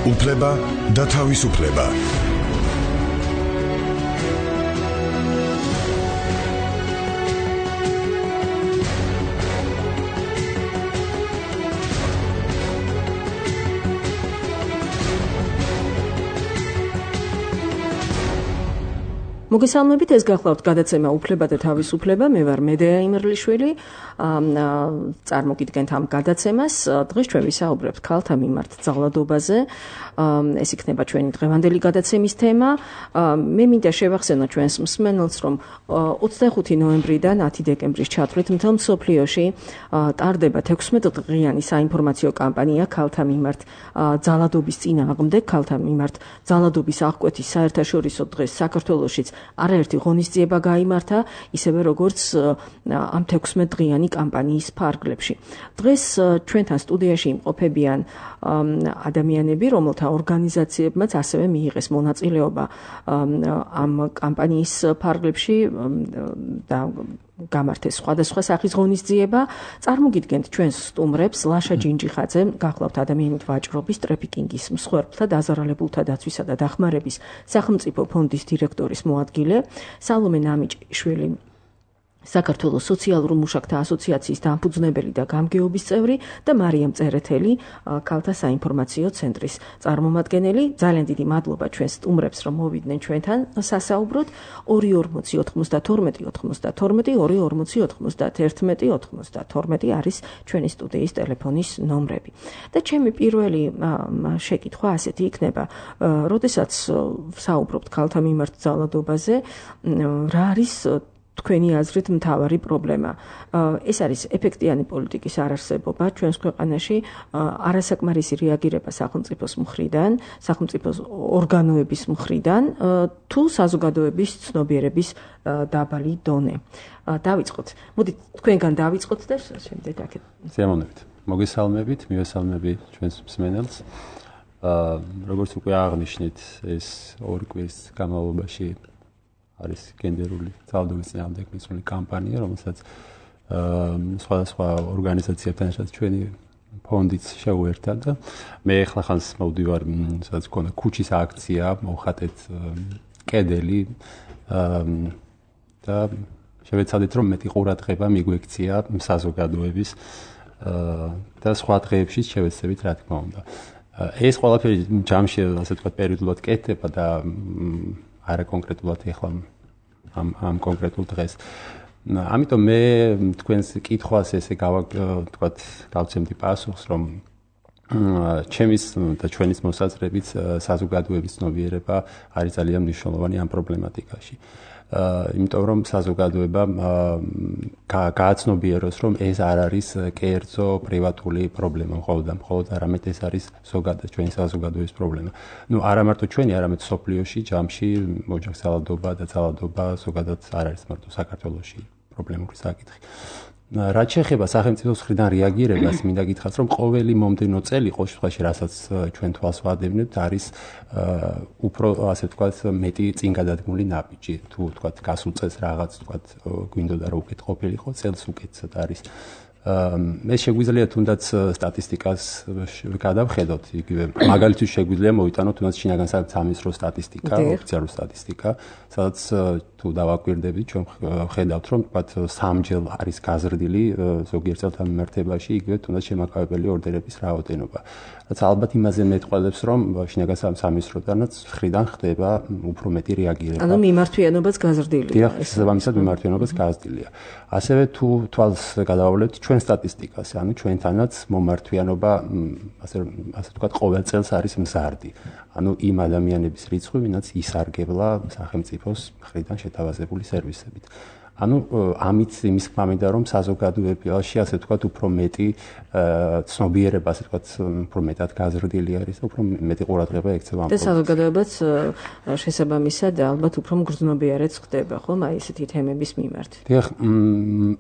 უფლება და თავისუფლება. მოგესალმებით, ეს გახლავთ გადაცემა უფლება და თავისუფლება. მე ვარ მედეა იმერლიშვილი. წარმოგიდგენთ ამ გადაცემას. დღეს ჩვენ ვისაუბრებთ ქალთა მიმართ ძალადობაზე. ეს იქნება ჩვენი დღევანდელი გადაცემის თემა. მე მინდა შევახსენო ჩვენს მსმენელს, რომ 25 ნოემბრიდან 10 დეკემბრის ჩათვლით მთელ მსოფლიოში ტარდება 16 დღიანი საინფორმაციო კამპანია ქალთა მიმართ ძალადობის წინააღმდეგ, ქალთა მიმართ ძალადობის აღკვეთის საერთაშორისო დღეს საქართველოშიც არაერთი ღონისძიება გაიმართა, ისევე როგორც ამ 16 დღიანი კამპანიის ფარგლებში. დღეს ჩვენთან სტუდიაში იმყოფებიან ადამიანები, რომელთა ორგანიზაციებმაც ასევე მიიღეს მონაწილეობა ამ კამპანიის ფარგლებში და გამართეს სხვადასხვა სახის ღონისძიება. წარმოგიდგენთ ჩვენს სტუმრებს: ლაშა ჯინჯიხაძე, გახლავთ ადამიანით ვაჭრობის, ტრაფიკინგის მსხვერპლთა, დაზარალებულთა დაცვისა და დახმარების სახელმწიფო ფონდის დირექტორის მოადგილე, სალომე ნამიჭიშვილი, საქართველოს სოციალურ მუშაკთა ასოციაციის დამფუძნებელი და გამგეობის წევრი და მარიამ წერეთელი, ქალთა საინფორმაციო ცენტრის წარმომადგენელი. ძალიან დიდი მადლობა ჩვენს სტუმრებს, რომ მოვიდნენ ჩვენთან სასაუბროდ. 240 92 92 240 91 92 არის ჩვენი სტუდიის ტელეფონის ნომრები. და ჩემი პირველი შეკითხვა ასეთი იქნება: როდესაც საუბრობთ ქალთა მიმართ ძალადობაზე, რა არის თქვენი აზრით მთავარი პრობლემა? ეს არის ეფექტიანი პოლიტიკის არარსებობა ჩვენს ქვეყანაში, არასაკმარისი რეაგირება სახელმწიფოს მხრიდან, სახელმწიფოს ორგანოების მხრიდან, თუ საზოგადოების ცნობიერების დაბალი დონე. დავიწყოთ. მოდით თქვენგან დავიწყოთ და შემდეგ აქეთ. ზემონებით. მოგესალმებით, მივესალმები ჩვენს მსმენელს. როგორც უკვე აღნიშნეთ, ეს ორი კვირის განმავლობაში არის გენდერული ძალადობის წინააღმდეგ მისული კამპანია, რომელსაც სხვადასხვა ორგანიზაციებთან ერთად ჩვენი ფონდიც შეუერთდა და მე ახლა ხანს მოვდივარ, სადაც გქონდა ქუჩის აქცია, მოვხატეთ კედელი და შევეცადეთ, რომ მეტი ყურადღება მიგვექცია საზოგადოების და სხვა დღეებში შევეცდებით, რა თქმა უნდა. ეს ყველაფერი ჯამში, ასე ვთქვათ, პერიოდულად კეთდება და არა კონკრეტულად ეხლა ამ კონკრეტულ დღეს. ამიტომ მე თქვენს კითხვას ესე ვთქვათ, გავცემდი პასუხს, რომ ჩემის და ჩვენის მოსაზრებით საზოგადოების ცნობიერება არის ძალიან მნიშვნელოვანი ამ პრობლემატიკაში. იმიტომ რომ საზოგადოება გააცნობიეროს, რომ ეს არ არის კერძო პრივატული პრობლემა, მხოლოდ არამედ ეს არის ზოგადად ჩვენი საზოგადოების პრობლემა. არა მარტო ჩვენი, არამედ სოფლიოში, ჯამში ოჯახის ძალადობა და ძალადობა ზოგადად არ არის მარტო საქართველოში პრობლემური საკითხი. რაც შეეხება სახელმწიფოს მხრიდან რეაგირებას, მინდა გითხრათ, რომ ყოველი მომდევნო წელი, ყოველ შემთხვევაში, რასაც ჩვენ თვალს ვადევნებთ, არის უფრო, ასე ვთქვათ, მეტი წინგადადგმული ნაბიჯი. თუ ვთქვათ, გასულ წელს რაღაც, ვთქვათ, გვინდოდა რომ უკეთ ყოფილიყო, წელს უკეთესად არის. მე შეგვიძლია თუნდაც სტატისტიკას გადავხედოთ, იგივე მაგალითად შეგვიძლია მოვიტანოთ თუნდაც შინაგან სამინისტროს სტატისტიკა, ოფიციალური სტატისტიკა, სადაც თუ დავაკვირდებით, ჩვენ ხედავთ, რომ ვთქვათ, 3-ჯერ არის გაზრდილი ზოგიერთ წელთან მიმართებაში, იგივე თუნდაც შემაკავებელი ორდერების რაოდენობა. რაც ალბათ იმაზე მეტყველებს, რომ შინაგან სამინისტროდანაც მხრიდან ხდება უფრო მეტი რეაგირება. ანუ მიმართვიანობაც გაზრდილია. დიახ, შესაბამისად მიმართვიანობაც გაზრდილია. ასევე თუ თვალს გადავავლებთ ჩვენ სტატისტიკას, ანუ ჩვენთანაც მომართვიანობა, ასე ვთქვათ, ყოველ წელს არის მზარდი. ანუ იმ ადამიანების რიცხვი, ვინაც ისარგებლა სახელმწიფოს მხრიდან შეთავაზებული სერვისებით. ანუ ამით იმის გვამინდა, რომ საზოგადოებაში, ასე ვთქვათ, უფრო მეტი ცნობიერება, ასე ვთქვათ, უფრო მეტად გაზრდილი არის და უფრო მეტი ყურადღება ექცევა ამ პრობლემას. და საზოგადოებაც შესაბამისად ალბათ უფრო მგრძნობიარად ხდება, ხომ, აი ესეთი თემების მიმართ. დიახ,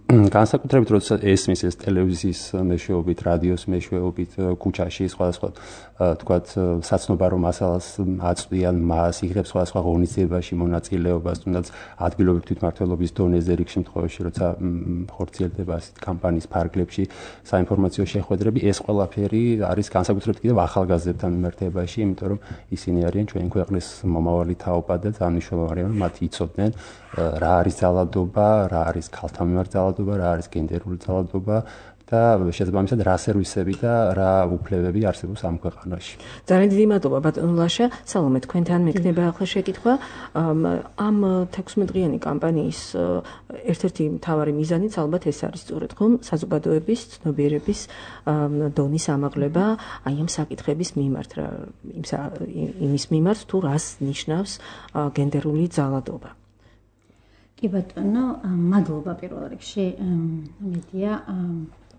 განსაკუთრებით როდესაც ესმის ეს ტელევიზიის მეშვეობით, რადიოს მეშვეობით, ქუჩაში სხვადასხვა, ვთქვათ, საცნობარო მასალას აწვდიან, მას იღებს სხვადასხვა ღონისძიებაში მონაწილეობას, თუნდაც ადგილობრივ თვითმმართველობის დონეზე ყველაზე რიგ შემთხვევაში, როცა ხორციელდება ასეთ კამპანიის ფარგლებში საინფორმაციო შეხვედრები, ეს ყველაფერი არის განსაკუთრებით კიდევ ახალგაზრდებთან მიმართებაში, იმიტომ რომ ისინი არიან ჩვენი ქვეყნის მომავალი თაობა და ძალიან მნიშვნელოვანია, რომ მათ იცოდნენ რა არის ძალადობა, რა არის ქალთა მიმართ ძალადობა, რა არის გენდერული ძალადობა და შესაბამისად რა სერვისები და რა უფლებები არსებობს ამ ქვეყანაში. ძალიან დიდი მადლობა ბატონო ლაშა. სალომე, თქვენთან მექნება ახლა შეკითხვა. ამ 16-დღიანი კამპანიის ერთ-ერთი მთავარი მიზანიც ალბათ ეს არის სწორედ ხომ საზოგადოების ცნობიერების დონის ამაღლება აი ამ საკითხების მიმართ, იმის მიმართ თუ რას ნიშნავს გენდერული ძალადობა. კი ბატონო, მადლობა პირველ რიგში მედია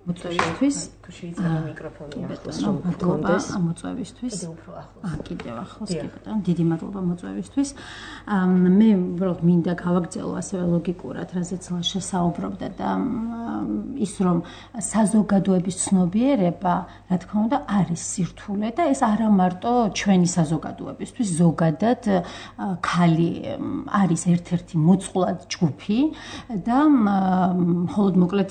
მოწვევისთვის. შეიძლება მიკროფონი ახლოს რომ გქონდეს. მოწვევისთვის. კიდევ ახლოს, კი ბატონო, დიდი მადლობა მოწვევისთვის. მე უბრალოდ მინდა გავაგრძელო ასევე ლოგიკურად, რაზეც ლაშა საუბრობდა და ის რომ საზოგადოების ცნობიერება, რა თქმა უნდა, არის სირთულე და ეს არა მარტო ჩვენი საზოგადოებისთვის, ზოგადად ქალი არის ერთ-ერთი მოწყვლად ჯგუფი და მხოლოდ მოკლედ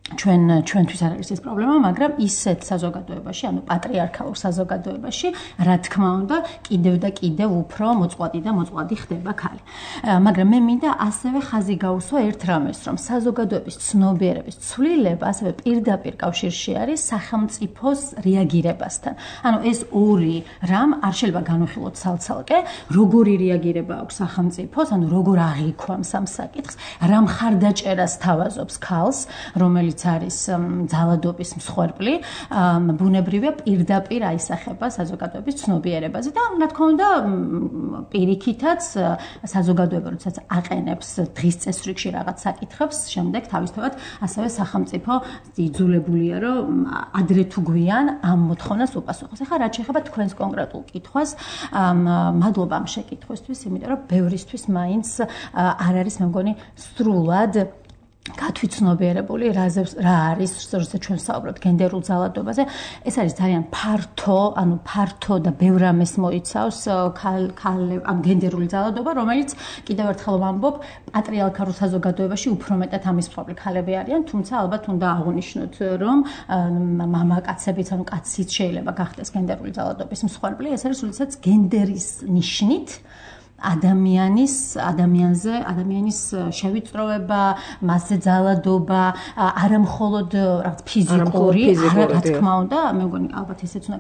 ჩვენთვის არ არის ეს პრობლემა, მაგრამ ისეთ საზოგადოებაში, ანუ პატრიარქალურ საზოგადოებაში, რა თქმა უნდა, კიდევ და კიდევ უფრო მოწყვლადი და მოწყვლადი ხდება ქალი. მაგრამ მე მინდა ასევე ხაზი გაუსვა ერთ რამეს, რომ საზოგადოების ცნობიერების ცვლილება ასევე პირდაპირ კავშირში არის სახელმწიფოს რეაგირებასთან. ანუ ეს ორი რამ არ შეიძლება განვიხილოთ ცალ-ცალკე, როგორი რეაგირება აქვს სახელმწიფოს, ანუ როგორ აღიქვამს ამ საკითხს, რა მხარდაჭერას თავაზობს ქალს, რომელიც არის ძალადობის მსხვერპლი, ბუნებრივია პირდაპირ აისახება საზოგადოების ცნობიერებაზე და რა თქმა უნდა პირიქითაც საზოგადოება როდესაც აყენებს დღის წესრიგში რაღაც საკითხებს, შემდეგ თავისთავად ასევე სახელმწიფო იძულებულია რომ ადრე თუ გვიან ამ მოთხოვნას უპასუხოს. ახლა რაც შეეხება თქვენს კონკრეტულ კითხვას, მადლობა ამ შეკითხვისთვის, იმიტომ რომ ბევრისთვის მაინც არ არის მე მგონი სრულად გათვითცნობიერებული რა არის როცა ჩვენ საუბრობთ გენდერულ ძალადობაზე. ეს არის ძალიან ფართო და ბევრ რამეს მოიცავს ამ გენდერული ძალადობა, რომელიც კიდევ ერთხელ ვამბობ, პატრიარქალურ საზოგადოებაში უფრო მეტად ამის მსხვერპლი ქალები არიან, თუმცა ალბათ უნდა აღვნიშნოთ, რომ მამაკაცებიც, ანუ კაციც შეიძლება გახდეს გენდერული ძალადობის მსხვერპლი. ეს არის როდესაც გენდერის ნიშნით ადამიანის შევიწროება, მასზე ძალადობა, არა მხოლოდ რაღაც ფიზიკური, რა თქმა უნდა, მე მგონი ალბათ ესეც უნდა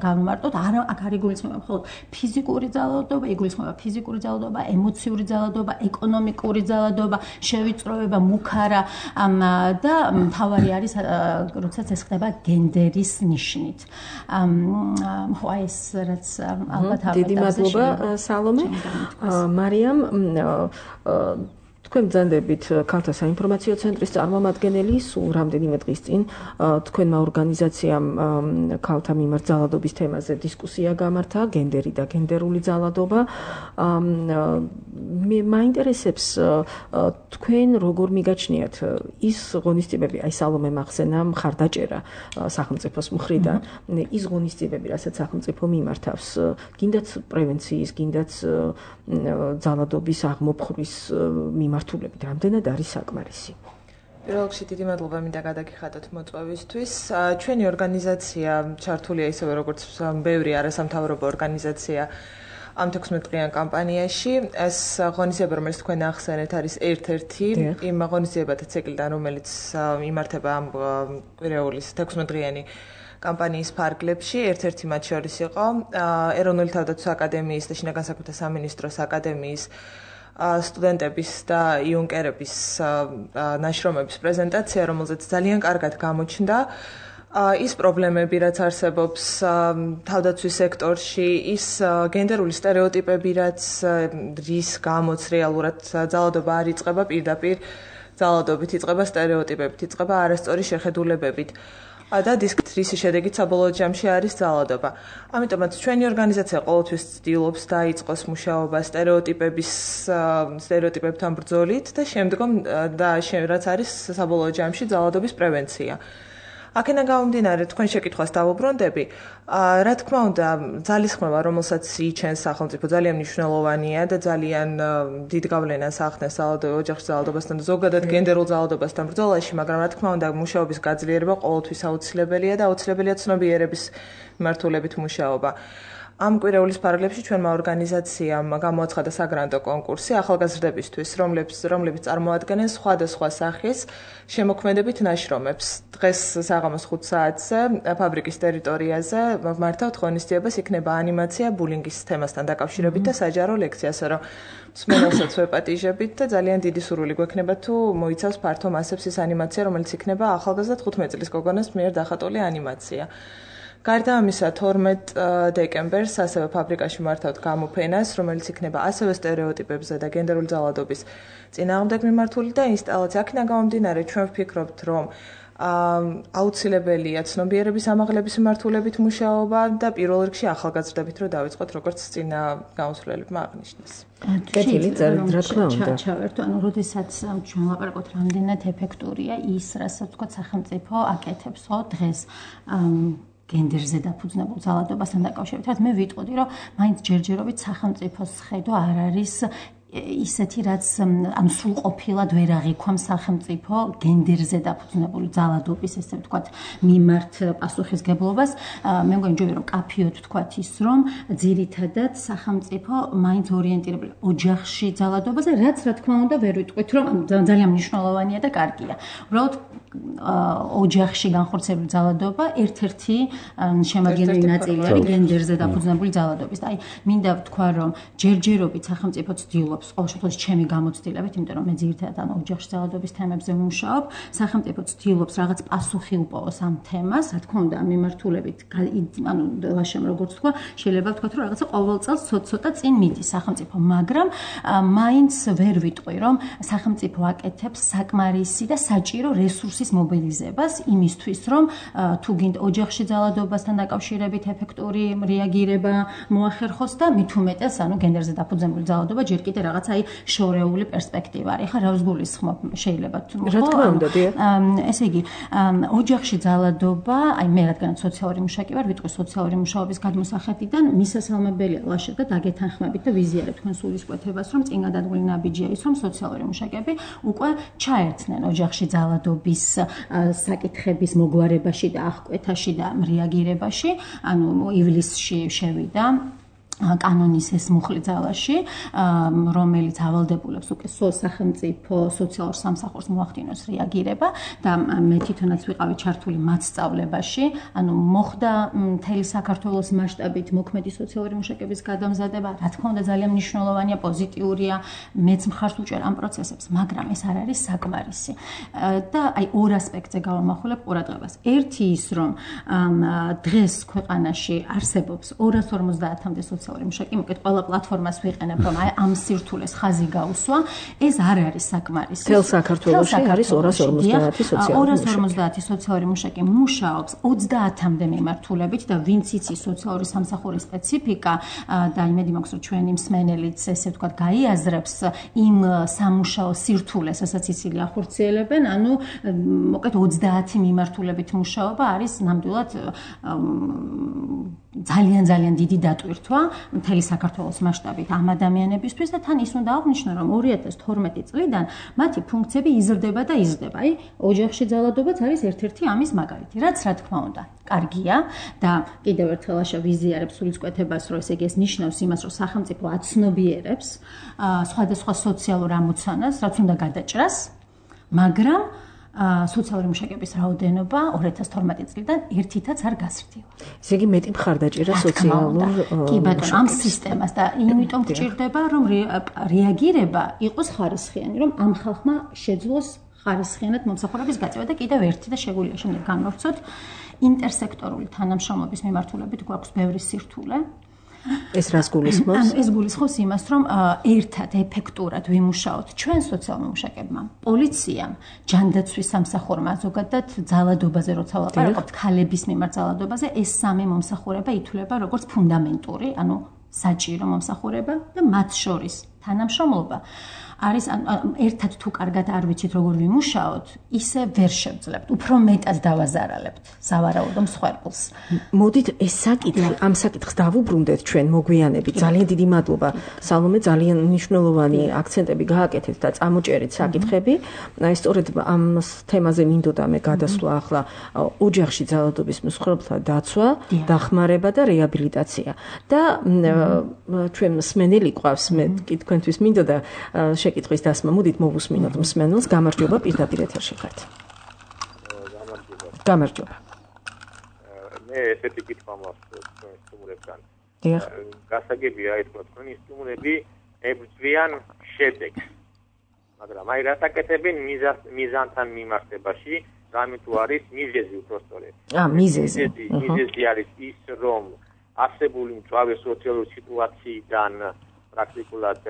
გავმარტოთ, აქ არ იგულისხმება მხოლოდ ფიზიკური ძალადობა, იგულისხმება ფიზიკური ძალადობა, ემოციური ძალადობა, ეკონომიკური ძალადობა, შევიწროება, მუქარა და მთავარი არის, როდესაც ეს ხდება გენდერის ნიშნით. ხო, ეს რაც ალბათ დიდი მადლობა სალომე. მარიამ, თქვენ ბრძანდებით ქალთა საინფორმაციო ცენტრის წარმომადგენელი, სულ რამდენიმე დღის წინ თქვენმა ორგანიზაციამ ქალთა მიმართ ძალადობის თემაზე დისკუსია გამართა, გენდერი და გენდერული ძალადობა. მე მაინტერესებს თქვენ როგორ მიგაჩნიათ ის ღონისძიებები, აი სალომე მახსენა მხარდაჭერა სახელმწიფოს მხრიდან, ის ღონისძიებები, რასაც სახელმწიფო მიმართავს, გინდაც პრევენციის, გინდაც ძალადობის აღმოფხვრის მიმართულებით, რამდენად არის საკმარისი? პირველ რიგში დიდი მადლობა მინდა გადაგიხადოთ მოწვევისთვის. ჩვენი ორგანიზაცია ჩართულია ისევე როგორც ბევრი არასამთავრობო ორგანიზაცია ამ 16-დღიან კამპანიაში. ეს ღონისძიება, რომელიც თქვენ ახსენეთ, არის ერთ-ერთი იმ ღონისძიებათა ციკლიდან, რომელიც იმართება ამ კვირეულის 16-დღიანი კამპანიის ფარგლებში. ერთ-ერთი მათ შორის იყო ეროვნული თავდაცვის აკადემიის და შინაგან საქმეთა სამინისტროს აკადემიის სტუდენტების და იუნკერების ნაშრომების პრეზენტაცია, რომელზეც ძალიან კარგად გამოჩნდა ის პრობლემები, რაც არსებობს თავდაცვის სექტორში, ის გენდერული სტერეოტიპები, რის გამოც რეალურად ძალადობა არ იწყება პირდაპირ ძალადობით, იწყება სტერეოტიპებით, იწყება არასწორი შეხედულებებით. და რის შედეგით საბოლოო ჯამში არის ძალადობა. ამიტომაც ჩვენი ორგანიზაცია ყოველთვის ცდილობს დაიწყოს მუშაობა სტერეოტიპებთან ბრძოლით და შემდგომ რაც არის საბოლოო ჯამში ძალადობის პრევენცია. აქედან გამომდინარე, თქვენ შეკითხვას დავუბრუნდები. Რა თქმა უნდა, ძალისხმევა, რომელსაც იჩენს სახელმწიფო, ძალიან მნიშვნელოვანია და ძალიან დიდ გავლენას ახდენს ოჯახში ძალადობასთან და ზოგადად გენდერულ ძალადობასთან ბრძოლაში, მაგრამ რა თქმა უნდა, მუშაობის გაძლიერება ყოველთვის აუცილებელია და აუცილებელია ცნობიერების მიმართულებით მუშაობა. ამ კვირეულის პარალელში ჩვენმა ორგანიზაციამ გამოაცხადა საგრანტო კონკურსი ახალგაზრდებისთვის, რომლებიც წარმოადგენენ სხვადასხვა სახის შემოქმედებით ნაშრომებს. დღეს საღამოს 5 საათზე ფაბრიკის ტერიტორიაზე მართავთ ღონისძიებას, იქნება ანიმაცია ბულინგის თემასთან დაკავშირებით და საჯარო ლექცია, ასე რომ მსმენელსაც ვეპატიჟებით და ძალიან დიდი სურვილი გვექნება თუ მოიცავს ფართო მასებს ის ანიმაცია, რომელიც იქნება ახალგაზრდა 15 წლის გოგონას მიერ დახატული ანიმაცია. გარდა ამისა 12 დეკემბერს ასევე ფაბრიკაში მართავთ გამოფენას, რომელიც იქნება ასევე სტერეოტიპებზე და გენდერული ძალადობის წინააღმდეგ მიმართული და ინსტალაცია. აქედან გამომდინარე, ჩვენ ვფიქრობთ, რომ აუცილებელია ცნობიერების ამაღლების მიმართულებით მუშაობა და პირველ რიგში ახალგაზრდებით რომ დავიწყოთ, როგორც წინა გამოსვლელებმა აღნიშნეს. კეთილი, რა თქმა უნდა. ჩავერთო, ანუ როდესაც ჩვენ ლაპარაკობთ, რამდენად ეფექტურია ის, რასაც თქვა სახელმწიფო აკეთებს, ხო, დღეს გენდერზე დაფუძნებულ ძალადობასთან დაკავშირებით, მე ვიტყოდი, რომ მაინც ჯერჯერობით სახელმწიფოს ხედვა არ არის ისეთი, რაც ანუ სრულყოფილად ვერ აღიქვამს სახელმწიფო გენდერზე დაფუძნებული ძალადობის, ესე ვთქვათ, მიმართ პასუხისგებლობას. მე მგონი ჯობია რომ კაფიოდ ვთქვათ ის, რომ ძირითადად სახელმწიფო მაინც ორიენტირებული ოჯახში ძალადობაზე, რაც რა თქმა უნდა ვერ ვიტყვით, რომ ძალიან მნიშვნელოვანია და კარგია. უბრალოდ ოჯახში განხორციელებული ძალადობა ერთ-ერთი შემადგენელი ნაწილი არის გენდერზე დაფუძნებული ძალადობის. აი, მინდა ვთქვა, რომ ჯერჯერობით სახელმწიფო ცდილობს, ყოველ შემთხვევაში ჩემი გამოცდილებით, იმიტომ რომ მე ძირითადად ანუ ოჯახში ძალადობის თემებზე ვმუშაობ, სახელმწიფო ცდილობს რაღაც პასუხი უპოვოს ამ თემას, რა თქმა უნდა, ამ მიმართულებით, ანუ ლაშემ როგორც ვთქვა, შეიძლება ვთქვათ, რომ რაღაცა ყოველ წელს ცოტა წინ მიდის სახელმწიფო, მაგრამ მაინც ვერ ვიტყვი, რომ სახელმწიფო აკეთებს საკმარისი და საჭირო რესურსის მობილიზებას იმისთვის, რომ თუ გინდა ოჯახში ძალადობასთან დაკავშირებით ეფექტური რეაგირება მოახერხოს და მით უმეტეს, ანუ გენდერზე დაფუძნებული ძალადობა ჯერ კიდე რაღაც აი შორეული პერსპექტივა არის. ხა რა ვსგულისხმობ, შეიძლება თუ რა თქმა უნდა, დიახ. ესე იგი, ოჯახში ძალადობა, აი მე რადგანაც სოციალური მუშაკი ვარ, ვიტყვი სოციალური მუშაობის გადმოსახედიდან მისასალმებელია ლაშა და დაგეთანხმებით და ვიზიარებ თქვენ სულისკვეთებას, რომ წინ გადადგმული ნაბიჯია ის, რომ სოციალური მუშაკები უკვე ჩაერთნენ ოჯახში ძალადობის საკითხების მოგვარებაში და აღკვეთაში და რეაგირებაში, ანუ ივლისში შევიდა კანონის ეს მუხლი ძალაში, რომელიც ავალდებულებს უკვე სახელმწიფო სოციალურ სამსახურს მოახდინოს რეაგირება და მე თვითონაც ვიყავი ჩართული მათ სწავლებაში, ანუ მოხდა მთელი საქართველოს მასშტაბით მოქმედი სოციალური მუშაკების გადამზადება, რა თქმა უნდა ძალიან მნიშვნელოვანია, პოზიტიურია, მეც მხარს უჭერ ამ პროცესებს, მაგრამ ეს არ არის საკმარისი. და აი ორ ასპექტზე გავამახვილებ ყურადღებას. ერთი ის, რომ დღეს ქვეყანაში არსებობს 250-მდე სოციალური მუშაკი, მოკეთ ყველა პლატფორმას ვიყენებ, რომ აი ამ სირთულეს ხაზი გაუსვა, ეს არ არის საკმარისი. მთელ საქართველოში არის 250 სოციალური მუშაკი მუშაობს 30-მდე მიმართულებით და ვინც იცის სოციალური სამსახურის სპეციფიკა და იმედი მაქვს, რომ ჩვენი მსმენელიც ესე ვთქვათ გაიაზრებს იმ სამუშაო სირთულეს, რასაც ისინი ახორციელებენ, ანუ მოკეთ 30 მიმართულებით მუშაობა არის ნამდვილად ძალიან დიდი დატვირთვა მთელი საქართველოს მასშტაბით ამ ადამიანებისთვის და თან ის უნდა აღნიშნო, რომ 2012 წლიდან მათი ფუნქციები იზრდება და იზრდება. აი, ოჯახში ძალადობაც არის ერთ-ერთი ამის მაგალითი, რაც რა თქმა უნდა კარგია და კიდევ ერთხელ აშა ვიზიარებს სულისკვეთებას, რომ ესე იგი ეს ნიშნავს იმას, რომ სახელმწიფო აცნობიერებს სხვადასხვა სოციალურ ამოცანას, რაც უნდა გადაჭრას, მაგრამ სოციალური მუშაკების რაოდენობა 2012 წლიდან ერთითაც არ გაზრდილა. ესე იგი მეტი მხარდაჭერა სოციალურ კი ბატონო, ამ სისტემას და იმიტომ გჭირდება, რომ რეაგირება იყოს ხარისხიანი, რომ ამ ხალხმა შეძლოს ხარისხიანად მომსახურების გაწევა და კიდევ ერთი და შეგვიძლია შემდეგ განვავრცოთ ინტერსექტორული თანამშრომლობის მიმართულებით გვაქვს ბევრი სირთულე. ეს რას გულისხმობს? ეს გულისხმობს იმას, რომ ერთად ეფექტურად ვიმუშაოთ ჩვენ სოციალურ მუშაკებმა, პოლიციამ, ჯანდაცვის სამსახურმა, ზოგადად ძალადობაზე როცა ვაპარაკობთ, ქალების მიმართ ძალადობაზე, ეს სამი მომსახურება ითვლება როგორც ფუნდამენტური, ანუ საჭირო მომსახურება და მათ შორის თანამშრომლობა არის ერთად თუ კარგად არ ვიცით როგორ ვიმუშაოთ, ისე ვერ შევძლებთ, უფრო მეტად დავაზარალებთ სავარაუდო მსხვერპლს. მოდით ეს საკითხი, ამ საკითხს დავუბრუნდეთ ჩვენ მოგვიანებით. ძალიან დიდი მადლობა სალომე, ძალიან მნიშვნელოვანი აქცენტები გააკეთეთ და წამოჭერეთ საკითხები. სწორედ ამ თემაზე მინდოდა მე გადასვლა ახლა ოჯახში ძალადობის მსხვერპლთა დაცვა, დახმარება და რეაბილიტაცია. და ჩვენ მსმენელი ყავს, მე კი თქვენთვის მინდოდა შეკითხვის დასმა. მოდით მოვუსმინოთ მსმენელს. გამარჯობა, პირდაპირ ეთერში ხართ. გამარჯობა. მე ესეთი კითხვა მაქვს თქვენ სტუმრებთან. დიახ. გასაგებია ეს თქვენი სტუმრები ებრძვიან შედეგს. მაგრამ აი რასაკეთებენ მიზანთან მიმართებაში, რამე თუ არის მიზეზი უпростоრე. მიზეზი. მიზეზი არის ის, რომ არსებული მწვავე სოციალური სიტუაციიდან პრაქტიკულად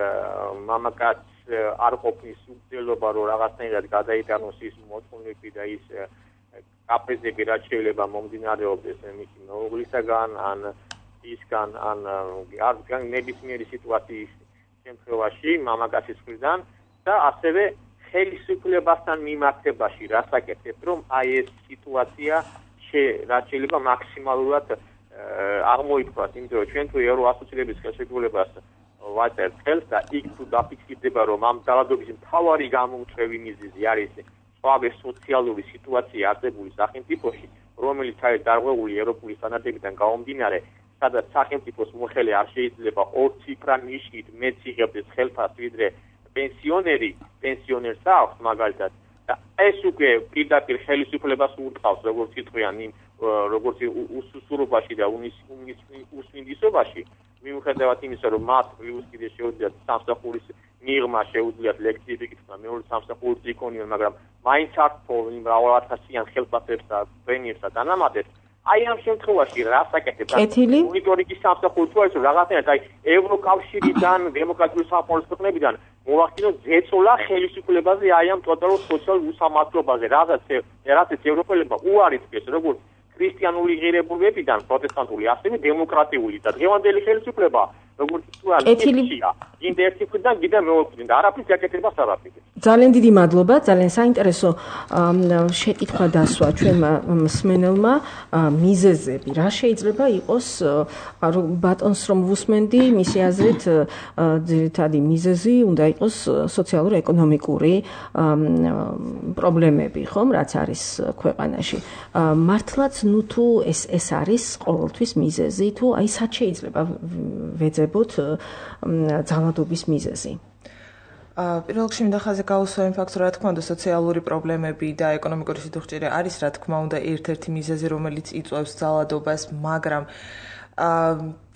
მამაკაცს არ ყოფნის უძელობა, რომ რაღაცნაირად გადაიტანოს ის მოთხოვნები და ის კაპრიზები, რაც შეიძლება მომდინარეობდეს მისი მეუღლისაგან, ან ისგან, ან ნებისმიერი სიტუაციის შემთხვევაში მამაკაცის მხრიდან და ასევე ხელისუფლებასთან მიმართებაში, რასაკეთებთ, რომ აი ეს სიტუაცია რაც შეიძლება მაქსიმალურად აღმოიფხვრათ, იმიტომ რომ ჩვენ თუ ევროასოციაციების ხელშეკრულებას ვაწერთ ხელს და იქ თუ დაფიქსირდება, რომ ამ ძალადობის მთავარი გამომწვევი მიზეზი არის სხვადასხვა სოციალური სიტუაცია არსებული სახელმწიფოში, რომელიც არის დარღვეული ევროპული სტანდარტებიდან გამომდინარე, სადაც სახელმწიფოს მოხელე არ შეიძლება ორციფრა ნიშნით მეც იღებდეს ხელფას, ვიდრე პენსიონერს აქვს მაგალითად. და ეს უკვე პირდაპირ ხელისუფლებას ურტყავს, როგორც იტყვიან იმ როგორც უსუსურობაში და უსმინდისობაში, მიუხედავად იმისა, რომ მათ პლუს კიდე შეუძლიათ სამსახურის მიღმა, შეუძლიათ ლექციები კითხვა, მეორე სამსახურს იქონიონ, მაგრამ მაინც არ თხოვენ იმ მრავალათასიან ხელფასებს და პრემიებს და დანამატებს. აი ამ შემთხვევაში რასაკეთებთ? მონიტორინგის სამსახური თუ არის, რომ რაღაცნაირად აი ევროკავშირიდან, დემოკრატიული სამყაროს ქვეყნებიდან მოვახდინოთ ზეწოლა ხელისუფლებაზე აი ამ ტოტალურ სოციალურ უსამართლობაზე, რადგან ევროპელებმა უარი თქვეს, როგორც ქრისტიანული ღირებულებებიდან პროტესტანტული, ასევე დემოკრატიული და დღევანდელი ხელისუფლება, როგორც ითვლია, კიდე ერთი მხრიდან კიდე მეორე მხრიდან და არაფრის გაკეთებას არ აფიქრებს. ძალიან დიდი მადლობა, ძალიან საინტერესო შეკითხვა დასვა ჩვენმა მსმენელმა მიზეზები. რა შეიძლება იყოს ბატონს რომ ვუსმენდი, მისი აზრით ძირითადი მიზეზი უნდა იყოს სოციალურ-ეკონომიკური პრობლემები, ხომ, რაც არის ქვეყანაში. მართლაც ნუ თუ ეს არის ყოველთვის მიზეზი, თუ აი სად შეიძლება ვეძებოთ ძალადობის მიზეზი? პირველ რიგში მინდა ხაზი გაუსვა იმ ფაქტს, რომ რა თქმა უნდა სოციალური პრობლემები და ეკონომიკური სიდუხჭირე არის რა თქმა უნდა ერთ-ერთი მიზეზი, რომელიც იწვევს ძალადობას, მაგრამ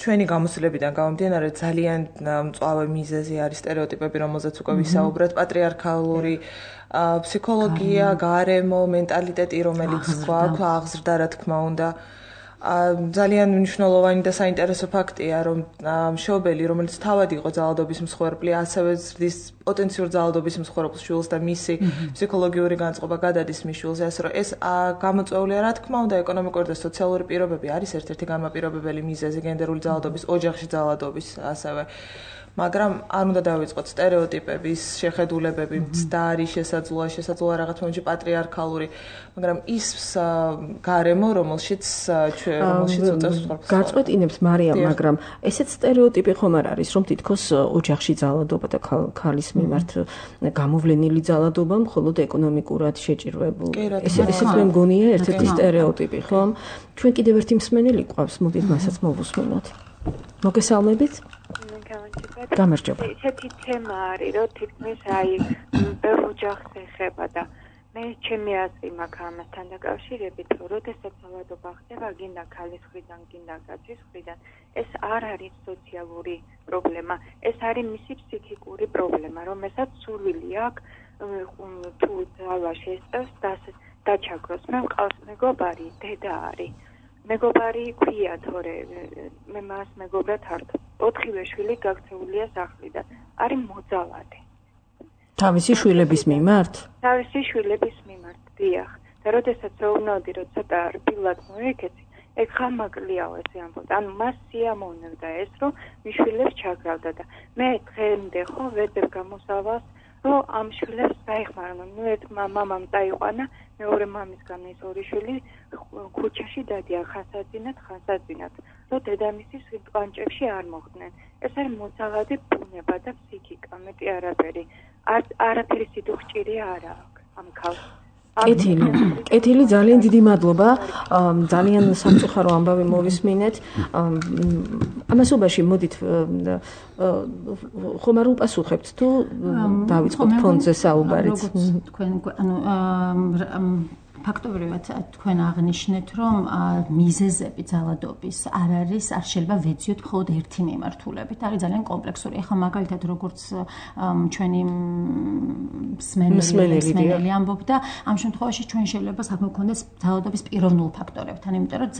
ჩვენი გამოცდილებიდან გამომდინარე ძალიან მწვავე მიზეზი არის სტერეოტიპები, რომელზეც უკვე ვისაუბრეთ, პატრიარქალური ფსიქოლოგია, გარემო, მენტალიტეტი, რომელიც გვაქვს აღზრდა რა თქმა უნდა. ძალიან მნიშვნელოვანი და საინტერესო ფაქტია, რომ მშობელი, რომელიც თავად იყო ძალადობის მსხვერპლი, ასევე ზრდის პოტენციურ ძალადობის მსხვერპლს შვილს და მისი ფსიქოლოგიური განწყობა გადადის მის შვილზე, ასე რომ ეს გამოწვეულია რა თქმა უნდა ეკონომიკური და სოციალური პირობები არის ერთ-ერთი განმაპირობებელი მიზეზი გენდერული ძალადობის, ოჯახში ძალადობის ასევე. მაგრამ არ უნდა დავიწყოთ სტერეოტიპების, შეხედულებები, მცდარი შესაძლოა რაღაც მომენტში პატრიარქალური, მაგრამ ის გარემო, რომელშიც უწევს მსხვერპლს. გაწყვეტინებთ მარიამ, მაგრამ ესეც სტერეოტიპი ხომ არ არის, რომ თითქოს ოჯახში ძალადობა და ქალის მიმართ გამოვლენილი ძალადობა მხოლოდ ეკონომიკურად შეჭირვებული. ესეც მე მგონია ერთ-ერთი სტერეოტიპი, ხომ? ჩვენ კიდევ ერთი მსმენელი ყავს, მოდით მასაც მოვუსმინოთ. მოგესალმებით? გამარჯობა. ესეთი თემა არის, რომ თითქმის აი ბევრ ოჯახს ეხება და მე ჩემი აზრი მაქვს ამასთან დაკავშირებით, რომ როდესაც ძალადობა ხდება, გინდა ქალის მხრიდან, გინდა კაცის მხრიდან, ეს არ არის სოციალური პრობლემა, ეს არის მისი ფსიქიკური პრობლემა, რომელსაც სურვილი აქვს თუ ძალა შესწევს დაჩაგროს. მე მყავს მეგობარი, დედა არის. მეგობარი ქვია თორე მე მას მეგობრად არ 4 შვილი გაქცეულია სახლიდან. არის მოძალადე. თავისი შვილების მიმართ? თავისი შვილების მიმართ, დიახ. და როდესაც ვეუბნოდი, რომ ცოტა რბილად მოეკეცი, ეგ ხამაკლიაო ესე ამბობდა. ანუ მას სიამოვნებდა ეს, რომ მიშვილებს ჩაგრავდა და მე დღემდე ხო ვეძებ გამოსავალს, რომ ამ შვილებს დაეხმარონ. ნუ ერთ მამამ წაიყვანა, მეორე მამისგან ეს ორი შვილი ქუჩაში დადიან ხანსაძინად, რომ დედამისის კვანჭებში არ მოხდნენ. ეს არის მოძალადი ბუნება და ფსიქიკა, მეტი არაფერი. არაფერი სიდუხჭირია არა აქვს ამ ქალს. კეთილი ძალიან დიდი მადლობა. ძალიან სამწუხარო ამბავი მოვისმინეთ. ამასობაში მოდით ხომ არ უპასუხებთ თუ დავიწყოთ ფონდზე საუბარიც. თქვენ ფაქტობრივად თქვენ აღნიშნეთ, რომ მიზეზები ძალადობის არ შეიძლება ვეძიოთ მხოლოდ ერთი მიმართულებით. არის ძალიან კომპლექსური. ეხლა მაგალითად როგორც ჩვენი მსმენელი ამბობდა, ამ შემთხვევაში ჩვენ შეიძლება საქმე გქონდეს ძალადობის პიროვნულ ფაქტორებთან, იმიტომ რომ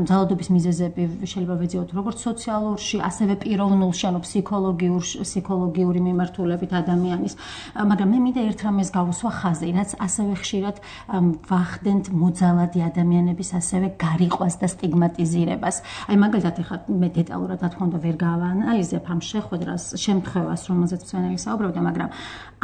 ძალადობის მიზეზები შეიძლება ვეძიოთ როგორც სოციალურში, ასევე პიროვნულში, ანუ ფსიქოლოგიური მიმართულებით ადამიანის. მაგრამ მე მინდა ერთ რამეს გავუსვა ხაზი, რაც ასევე ხშირად ვახდენთ მოძალადი ადამიანების ასევე გარიყვას და სტიგმატიზირებას. აი მაგალითად ეხლა მე დეტალურად რა თქმა უნდა ვერ გავაანალიზებ ამ შემთხვევას, რომელზეც მსმენელი საუბრობდა, მაგრამ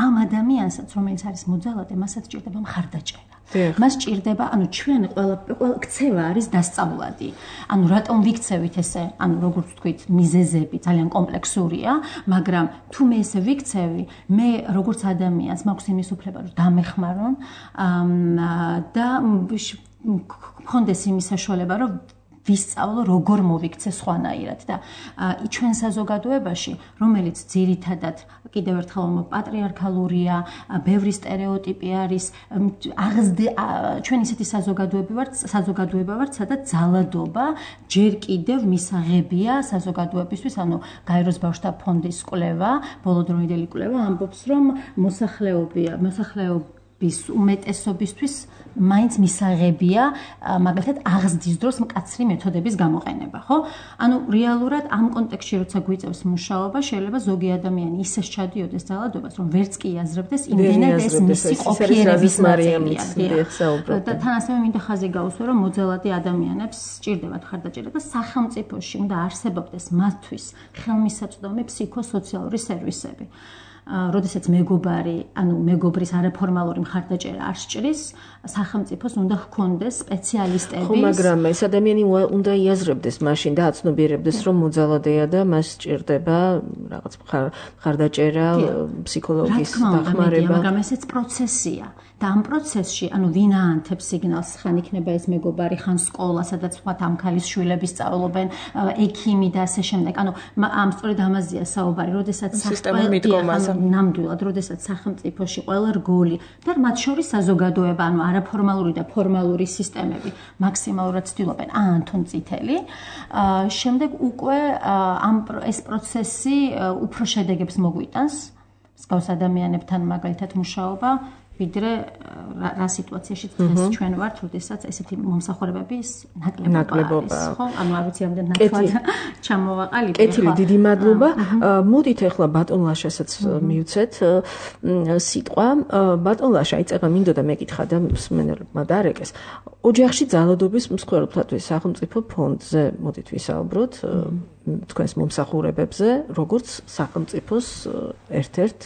ამ ადამიანსაც, რომელიც არის მოძალადე, მასაც ჭირდება მხარდაჭერა. მას ჭირდება, ანუ ჩვენ ყველა ქცევა არის დასწავლადი. ანუ რატომ ვიქცევით ესე, ანუ როგორც ვთქვით, მიზეზები ძალიან კომპლექსურია, მაგრამ თუ მე ესე ვიქცევი, მე როგორც ადამიანს მაქვს იმის უფლება, რომ დამეხმარონ და მქონდეს იმის საშუალება, რომ ვისწავლო როგორ მოვიქცე სხვანაირად და ჩვენ საზოგადოებაში, რომელიც ძირითადად კიდევ ერთხელ პატრიარქალურია, ბევრი სტერეოტიპი არის, ჩვენ ისეთი საზოგადოება ვართ, სადაც ძალადობა ჯერ კიდევ მისაღებია საზოგადოებისთვის, ანუ გაეროს ბავშვთა ფონდის კვლევა, ბოლოდროინდელი კვლევა ამბობს, რომ მოსახლეობის უმეტესობისთვის მაინც მისაღებია მაგალითად აღზრდის დროს მკაცრი მეთოდების გამოყენება, ხო? ანუ რეალურად ამ კონტექსტში როცა გვიწევს მუშაობა, შეიძლება ზოგი ადამიანი ისე ჩადიოდეს ძალადობას, რომ ვერც კი იაზრებდეს იმდენად ეს მისი ყოფიერების ნაწილია. და თან ასევე მინდა ხაზი გაუსვა, რომ მოძალადი ადამიანებს სჭირდებათ მხარდაჭერა და სახელმწიფოში უნდა არსებობდეს მათთვის ხელმისაწვდომი ფსიქოსოციალური სერვისები. როდესაც მეგობრის არაფორმალური მხარდაჭერა არ სჭრის, სახელმწიფოს უნდა ჰქონდეს სპეციალისტები. ხო, მაგრამ ეს ადამიანი უნდა იაზრებდეს მაშინ და აცნობიერებდეს, რომ მოძალადეა და მას სჭირდება რაღაც მხარდაჭერა, ფსიქოლოგის დახმარება. მაგრამ ესეც პროცესია. და ამ პროცესში, ვინ აანთებს სიგნალს, ხან იქნება ეს მეგობარი, ხან სკოლა, სადაც ვთქვათ ამ ქალის შვილები სწავლობენ, ექიმი და ასე შემდეგ. ამ სწორედ ამაზეა საუბარი, როდესაც ნამდვილად, როდესაც სახელმწიფოში ყველა რგოლი და მათ შორის საზოგადოება, არაფორმალური და ფორმალური სისტემები მაქსიმალურად ცდილობენ აანთონ წითელი. შემდეგ უკვე ეს პროცესი უფრო შედეგებს მოგვიტანს, მსგავს ადამიანებთან მაგალითად მუშაობა, ვიდრე რა სიტუაციაში დღეს ჩვენ ვართ, როდესაც ესეთი მომსახურებების ნაკლებობა არის, ხო? არ ვიცი ამდენ ნათლად ჩამოვაყალიბე. კეთილი, დიდი მადლობა. მოდით ახლა ბატონ ლაშასაც მივცეთ სიტყვა. ბატონ ლაშა, იწება მინდოდა მეკითხა და მსმენელებმა დაარეკეს. ოჯახში ძალადობის მსხვერპლთათვის სახელმწიფო ფონდზე მოდით ვისაუბროთ, თქვენს მომსახურებებზე, როგორც სახელმწიფოს ერთ-ერთ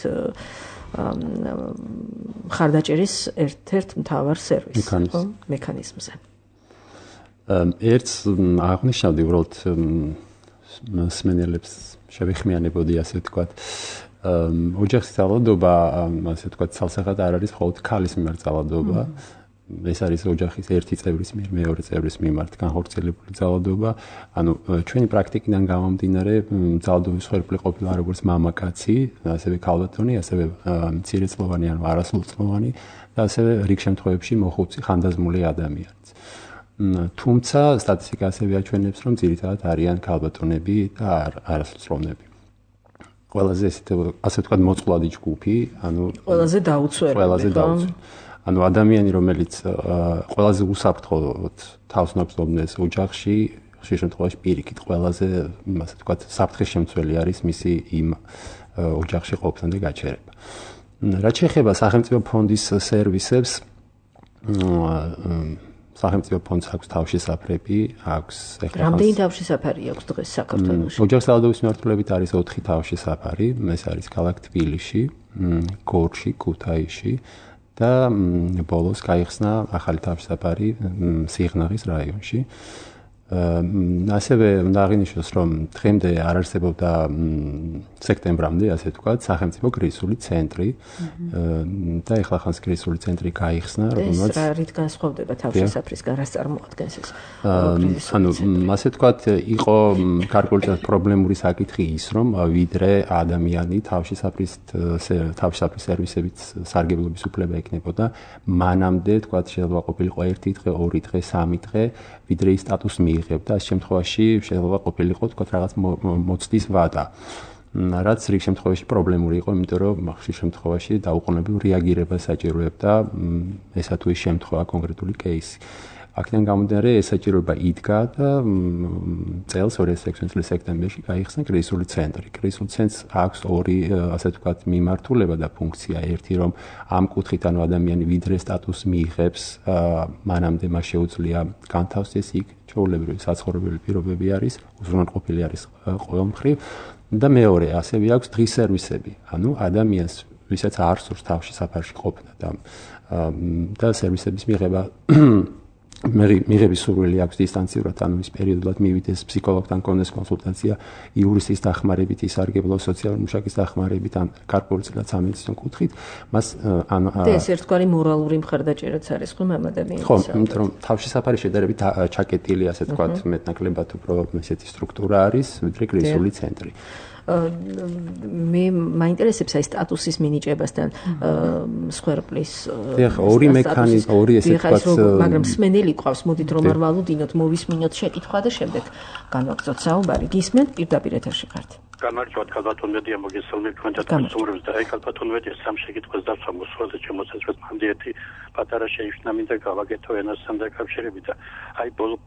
მხარდაჭერის ერთ-ერთ მთავარ მექანიზმზე. ერთს აღნიშნავდი, უბრალოდ მსმენელებს შევეხმიანებოდი, ასე ვთქვათ. ოჯახის ძალადობა, ასე ვთქვათ, ცალსახად არ არის მხოლოდ ქალის მიმართ ძალადობა. ეს არის ოჯახის ერთი წევრის მიერ მეორე წევრის მიმართ განხორციელებული ძალადობა. ჩვენი პრაქტიკიდან გამომდინარე, ძალადობის მსხვერპლი ყოფილა როგორც მამაკაცი, ასევე ქალბატონი, ასევე მცირეწლოვანი ან არასრულწლოვანი და ასევე რიგ შემთხვევებში მოხუცი ხანდაზმული ადამიანიც. თუმცა სტატისტიკა ასევე აჩვენებს, რომ ძირითადად არიან ქალბატონები და არასრულწლოვნები. ყველაზე ასე ვთქვათ მოწყვლადი ჯგუფი, ყველაზე დაუცველი. ადამიანი, რომელიც ყველაზე უსაფრთხოდ თავს ნაბრძოლებს ოჯახში, ხშირ შემთხვევაში პირიქით ყველაზე, ასე ვთქვათ, საფრთხის შემცველი არის მისი იმ ოჯახში ყოფნა და გაჩერება. რაც შეეხება სახელმწიფო ფონდის სერვისებს, სახელმწიფო ფონდს აქვს თავშესაფრები, აქვს რამდენი თავშესაფარი აქვს დღეს საქართველოში? ოჯახსავალდობის მიმართულებით არის 4 თავშესაფარი, ეს არის ქალაქ თბილისში, გორში, ქუთაისში და ბოლოს გაიხსნა ახალი თავშესაფარი სიღნაღის რაიონში. ასევე უნდა აღინიშნოს, რომ დღემდე არ არსებობდა სექტემბრამდე, ასე ვთქვათ, სახელმწიფო კრიზისული ცენტრი და ეხლა ხანს კრიზისული ცენტრი გაიხსნა, რომელსაც ეს რა რით განსხვავდება თავშესაფრისგან, რას წარმოადგენს ეს? ანუ ასე ვთქვათ, იყო გარკვეული პრობლემური საკითხი ის, რომ ვიდრე ადამიანი თავშესაფრის სერვისებით სარგებლობის უფლება ექნებოდა, მანამდე ვთქვათ, შეიძლება ყოფილიყო 1 დღე, 2 დღე, 3 დღე, ვიდრე ის სტატუსი მიიღებდა, ამ შემთხვევაში შეიძლება ყოფილიყო თქვათ რაღაც მოცდის ვადა. რაც რიგ შემთხვევაში პრობლემური იყო, იმიტომ რომ ხშირ შემთხვევაში დაუყოვნებლივ რეაგირება საჭიროებდა ესა თუ ის შემთხვევა კონკრეტული кейსი. აქედან გამომდინარე ეს საჭიროება იდგა და წელს 2016 წლის სექტემბერში გაიხსნა კრიზისული ცენტრი. კრიზისულ ცენტრს აქვს 2 ასე ვთქვათ მიმართულება და ფუნქცია. ერთი რომ ამ კუთხით ანუ ადამიანი ვიდრე სტატუსს მიიღებს, მანამდე მას შეუძლია განთავსდეს იქ ჩვეულებრივი საცხოვრებელი პირობები არის, უზრუნველყოფილი არის ყოველ მხრივ და მეორე ასევე აქვს დღის სერვისები. ანუ ადამიანს ვისაც არ სურს თავშესაფარში ყოფნა და სერვისების მიღება მიღების სურვილი აქვს დისტანციურად, ანუ ის პერიოდულად მივიდეს ფსიქოლოგთან, კონდეს კონსულტაცია, იურისტის დახმარებით, ისარგებლოს სოციალური მუშაკის დახმარებით, ან გარკვეულწილად სამედიცინო კუთხით, მას ანუ ეს ერთგვარი მორალური მხარდაჭერაც არის ხომ ამ ადამიანის? ხო, იმიტომ რომ თავშესაფარი შედარებით ჩაკეტილი, ასე ვთქვათ, მეტნაკლებად უფრო ესეთი სტრუქტურა არის, ვიდრე კრიზისული ცენტრი. მე მაინტერესებს აი სტატუსის მინიჭებასთან სხვერპლის. ეხლა ორი მექანიზმი, ორი ესე ვთქვათ, მაგრამ სმენელი ყავს, მოდით რომ არ ვალუდინოთ, მოვისმინოთ შეკითხვა და შემდეგ განვაგრძოთ საუბარი. გისმენთ პირდაპირ ეთერში ხართ. გამარჯობათ, ქალბატონ მედია მოგესალმებით თქვენთან მსურველს და აი ქალბატონ მედია სამ შეკითხვას დავსვა მოსვლაზე შემოსაწყოთ მანდი ერთი პატარა შეიშვნა მინდა გავაკეთო ენასთან დაკავშირებით და აი ბოლო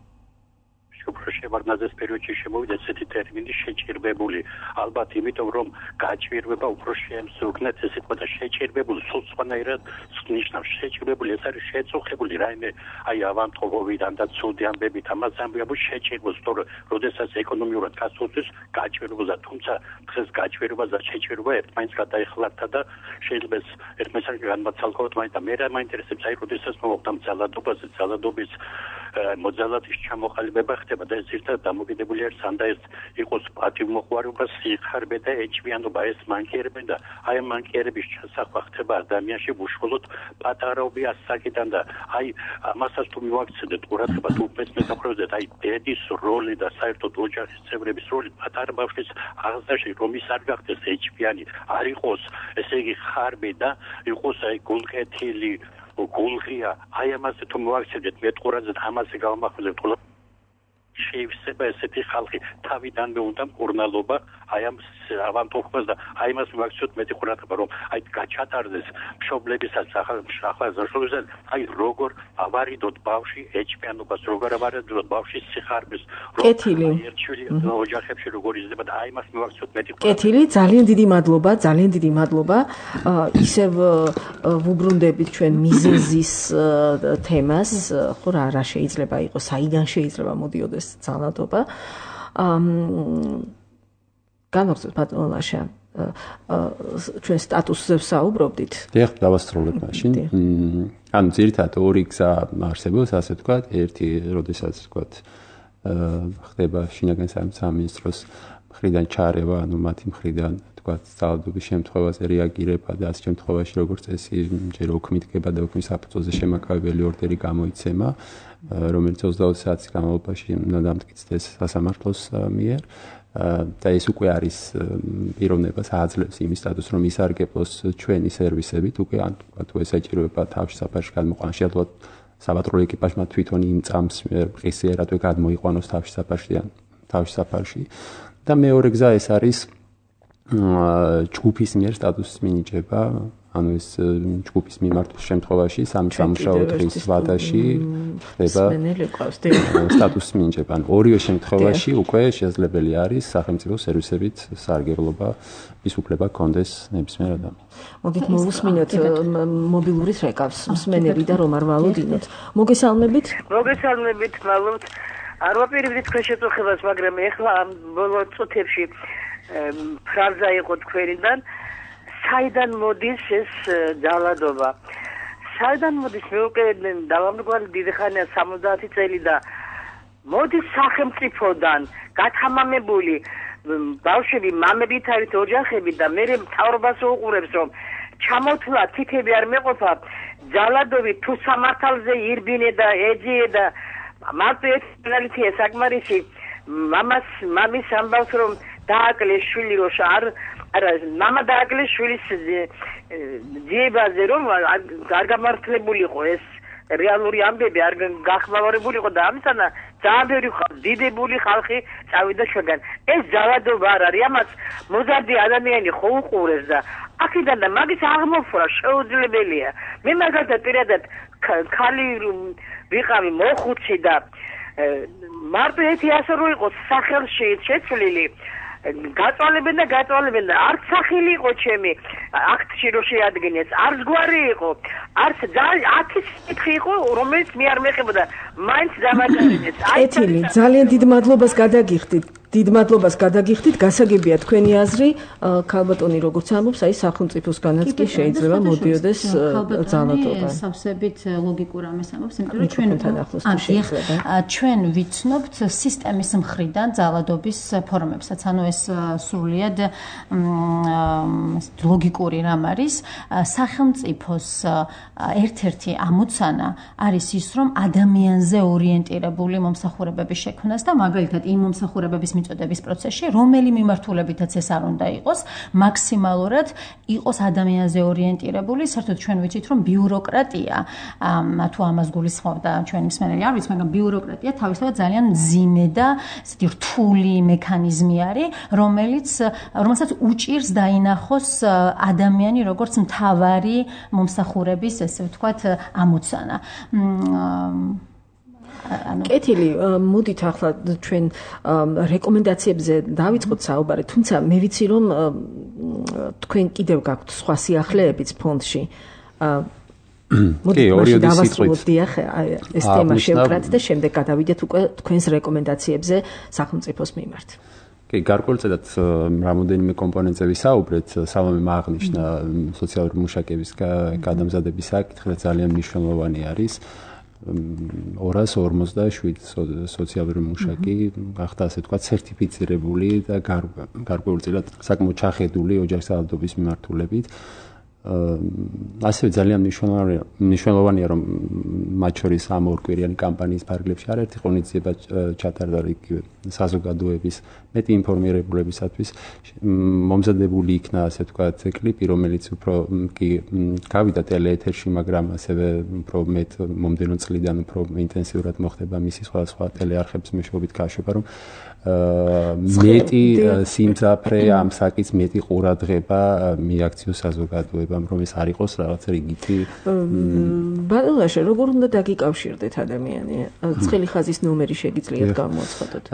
შევარდნაძეს პერიოდში შემოვიდა ესეთი ტერმინი შეჭირვებული. ალბათ იმიტომ რომ გაჭირვება უფრო შემსუქნეთ ესე თქვა და შეჭირვებული სულ სხვანაირად ნიშნავს. შეჭირვებული ეს არის შეწუხებული რაიმე აი ავანტყოფობიდან და ცუდი ამბებით ამას ამბობ შეჭირვებს, თორე როდესაც ეკონომიურად გასულთვის გაჭირვებულდა, თუმცა დღეს გაჭირვება და შეჭირვება ერთმანეთს გადაეხლართა და შეიძლება ერთმანეთს განმაცალკოთ, მაგრამ მე რა მაინტერესებს აი როდესაც მოვხდა ძალადობაზე, ძალადობის მოძალადის ჩამოყალიბება ხდება და ეს ერთად დამოკიდებული არის სანდა ეს იყოს პატივმოყვარეობა, სიხარბე და ეჭვიანობა, ეს მანქიერები და აი ამ მანქიერების ჩასახვა ხდება ადამიანში უშუალოდ პატარაობი ასაკიდან და აი ამასაც თუ მივაქცევთ ყურადღება თუ მესმეთახრობდეთ აი დედის როლი და საერთოდ ოჯახის წევრების როლი პატარა ბავშვის აღზრდაში რომ ის არ გახდეს ეჭვიანი, არ იყოს ესე იგი ხარბი და იყოს აი გულკეთილი გულღია, აი ამაზე თუ მოვაქცევთ მეტყურადღე ამაზე გავამახვილებთ ყველა შეიძლება ესეთი ხალხი თავიდანვე უნდა მკურნალობა აი ამ ავანტყოფას და აი მას მივაქციოთ მეტი ყურადღება რომ აი გაჩატარდეს მშობლებისაც ახალგაზრდობისას აი როგორ ავარიდოთ ბავში ეჭვიანობას, როგორ ავარიდოთ ბავშის სიხარბეს, კეთილი ერთშვილი ოჯახებში როგორ იზრდება და აი მას მივაქციოთ მეტი ყურადღება. კეთილი, ძალიან დიდი მადლობა, ძალიან დიდი მადლობა. ისევ ვუბრუნდებით ჩვენ მიზეზის თემას, ხო რა შეიძლება იყოს, საიდან შეიძლება მოდიოდეს ძალადობა. განვაგრძოთ ბატონო ლაშა, ჩვენ სტატუსზე ვსაუბრობდით. დიახ, დავასრულებ მაშინ. ანუ ძირითადად ორი გზა არსებობს, ასე ვთქვათ, ერთი, როდესაც ვთქვათ, ხდება შინაგან სამინისტროს მხრიდან ჩარევა, ანუ მათი მხრიდან ვთქვათ, ძალადობის შემთხვევაზე რეაგირება და ამ შემთხვევაში როგორც წესი, ჯერ ოქმით გება და ოქმის საფუძველზე შემაკავებელი ორდერი გამოიცემა, რომელიც 20 საათის განმავლობაში უნდა დამტკიცდეს სასამართლოს მიერ. და ეს უკვე არის პიროვნებას აძლევს იმის სტატუსს, რომ ისარგებლოს ჩვენი სერვისებით, უკვე ან თუ ესაჭიროება თავშესაფარში გადმოყვანა, შეიძლება საბატონო ეკიპაჟმა თვითონ იმ წამს ყისიერად გადმოიყვანოს თავშესაფარში. და მეორე გზა ეს არის ჯგუფის მიერ სტატუსის მინიჭება, ანუ ეს ჯგუფის მიმართვის შემთხვევაში სამი სამუშაო დღის ვადაში ხდება სტატუსი მინიჭება. ანუ ორივე შემთხვევაში უკვე შესაძლებელი არის სახელმწიფო სერვისებით სარგებლობა ის უფლება კონდეს ნებისმიერ ადამიანს. მოდით მოვუსმინოთ მობილურის რეკავს მსმენელი და რომ არ ვალოდინოთ. მოგესალმებით, მალოთ. არ ვაპირებდით თქვენ შეწუხებას, მაგრამ ეხლა ამ ბოლო წუთებში ფრაზა იყო თქვენიდან, საიდან მოდის ეს ძალადობა. საიდან მოდის მე უკვე დავამრგვალი დიდი ხანია 70 წელი და მოდის სახელმწიფოდან გათამამებული ბავშვები, მამებით არის ოჯახები და მე მთავრობას უყურებს რომ ჩამოთვლა თითები არ მეყოფა ძალადობით თუ სამართალზე ირბინე და ეძიე და მარტო ერთმანეთია საკმარისი მამის ამბავს რომ დააკლეს შვილი რო არა მამა დააკლეს შვილის ძიებაზე რომ არ გამართლებულიყო ეს რეალური ამბები არ გახმაურებულიყო და ამისანა ძალიან ბევრი დიდებული ხალხი წავიდა ჩვენგან ეს ძალადობა არ არის ამას მოზარდი ადამიანი ხო უყურებს და აქედან და მაგის აღმოფხვრა შეუძლებელია მე მაგალითად პირადად ქალი ვიყავი მოხუცი და მარტო ერთი ასე რო იყოს სახელში შეცვლილი გაწვალებენ და არც სახელი იყო ჩემი აქტში რო შეადგენეს არც გვარი იყო არც 10 კითხი იყო რომელიც მე არ მეხებოდა მაინც დამაგარინეს ეთილი ძალიან დიდ მადლობას გადაგიხდით გასაგებია თქვენი აზრი ქალბატონი როგორც ამბობს აი სახელმწიფოსგანაც კი შეიძლება მოდიოდეს ძალადობა სავსებით ლოგიკურ ამას ამბობს იმიტომ რომ ჩვენ ვიცნობთ სისტემის მხრიდან ძალადობის ფორმებსაც ანუ ეს სრულიად ლოგიკური რამ არის სახელმწიფოს ერთ-ერთი ამოცანა არის ის რომ ადამიანზე ორიენტირებული მომსახურებების შექმნას და მაგალითად იმ მომსახურებების მიწოდების პროცესში რომელი მიმართულებითაც ეს არ უნდა იყოს მაქსიმალურად იყოს ადამიანზე ორიენტირებული საერთოდ ჩვენ ვიცით რომ ბიუროკრატია თუ ამას გულისხმობ და ჩვენი მსმენელი არ ვიცი მაგრამ ბიუროკრატია თავისთავად ძალიან მძიმე და ესეთი რთული მექანიზმი არის რომელსაც უჭირს დაინახოს ადამიანი როგორც მთავარი მომსახურების ესე ვთქვათ ამოცანა კეთილი მოდით ახლა ჩვენ რეკომენდაციებზე დავიწყოთ საუბარი თუმცა მე ვიცი რომ თქვენ კიდევ გაქვთ სხვა სიახლეებიც ფონდში მოდით დავასრულოთ დიახ ეს თემა შევკრათ და შემდეგ გადავიდეთ უკვე თქვენს რეკომენდაციებზე სახელმწიფოს მიმართ კი გარკვეულწილად რამოდენიმე კომპონენტზე ვისაუბრეთ სალომემ აღნიშნა სოციალური მუშაკების გადამზადების საკითხი ძალიან მნიშვნელოვანი არის 247 სოციალური მუშაკი გახდა ასე ვთქვათ სერტიფიცირებული და გარკვეულწილად საკმაოდ ჩახედული ოჯახსავალდობის მიმართულებით ასევე ძალიან მნიშვნელოვანია რომ მათ შორის ამ ორკვირიანი კამპანიის ფარგლებში არაერთი ღონისძიება ჩატარდა იგივე საზოგადოების მეტი ინფორმირებულებისათვის მომზადებული იქნა ასე ვთქვათ კლიპი რომელიც უფრო კი გავიდა ტელეეთერში მაგრამ ასევე უფრო მეტ მომდენო წლიდან უფრო ინტენსიურად მოხდება მისი სხვა ტელეარხების მეშვეობით გაშვება რომ მეტი სიმძაფრე ამ საკითხს მეტი ყურადღება მიაქციოს საზოგადოებამ რომ ეს არ იყოს რაღაც რიგითი ბატონაშე როგორ უნდა დაგიკავშირდეთ ადამიანი ცხელი ხაზის ნომერი შეგიძლიათ გამოაცხადოთ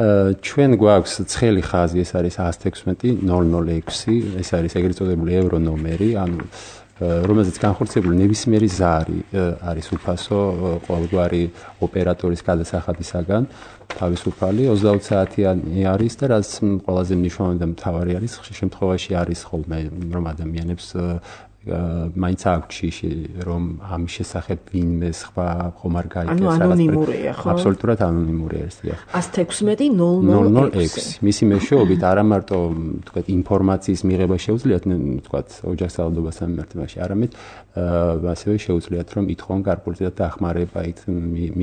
ჩვენ გვაქვს ცხელი ხაზი ეს არის 116 006 ეს არის ეგრეთ წოდებული ევრო ნომერი ანუ რომელზეც განხორციელებული ნებისმიერი ზარი არის უფასო ყოველგვარი ოპერატორის გადასახადისაგან თავისუფალი 20 საათიანი არის და რაც ყველაზე მნიშვნელოვანი და მთავარი არის ხშირ შემთხვევაში არის ხოლმე რომ ადამიანებს მაინც აქვს რომ ამის შესახებ ვინმე სხვა ხომ არ გაიგებს ანონიმურია ხო აბსოლუტურად ანონიმურია ეს დიახ 116 006 მისი მეშვეობით არა მარტო თქვათ ინფორმაციის მიღება შეუძლიათ თქვათ ოჯახსავალდობასთან მიმართებაში არამედ ასევე შეუძლიათ რომ ითხოვონ გარკვეულწილად დახმარება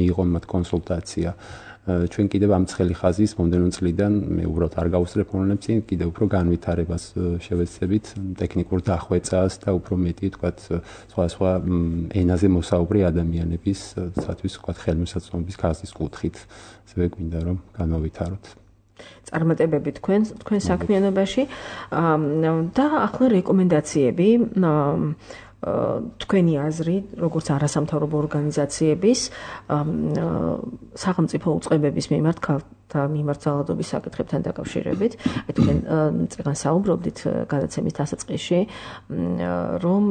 მიიღონ მათ კონსულტაცია ჩვენ კიდევ ამ ცხელი ხაზის მომდენო წლიდან მე უბრალოდ არ გავუსწრებ მონელებს კიდევ უფრო განვითარებას შევეცდებით ტექნიკურ დახვეწას და უფრო მეტი თქვათ სხვა ენაზე მოსაუბრი ადამიანებისათვის თქვათ ხელმისაწვდომობის ხაზის კუთხით ასევე გვინდა რომ განავითაროთ წარმატებები თქვენ საქმიანობაში და ახლა რეკომენდაციები თქვენი აზრი, როგორც არასამთავრობო ორგანიზაციების სახელმწიფო უწყებების მიმართ და მიმართ ძალადობის საკითხებთან დაკავშირებით, თქვენ წეგან საუბრობდით გადაცემის დასაწყისში, რომ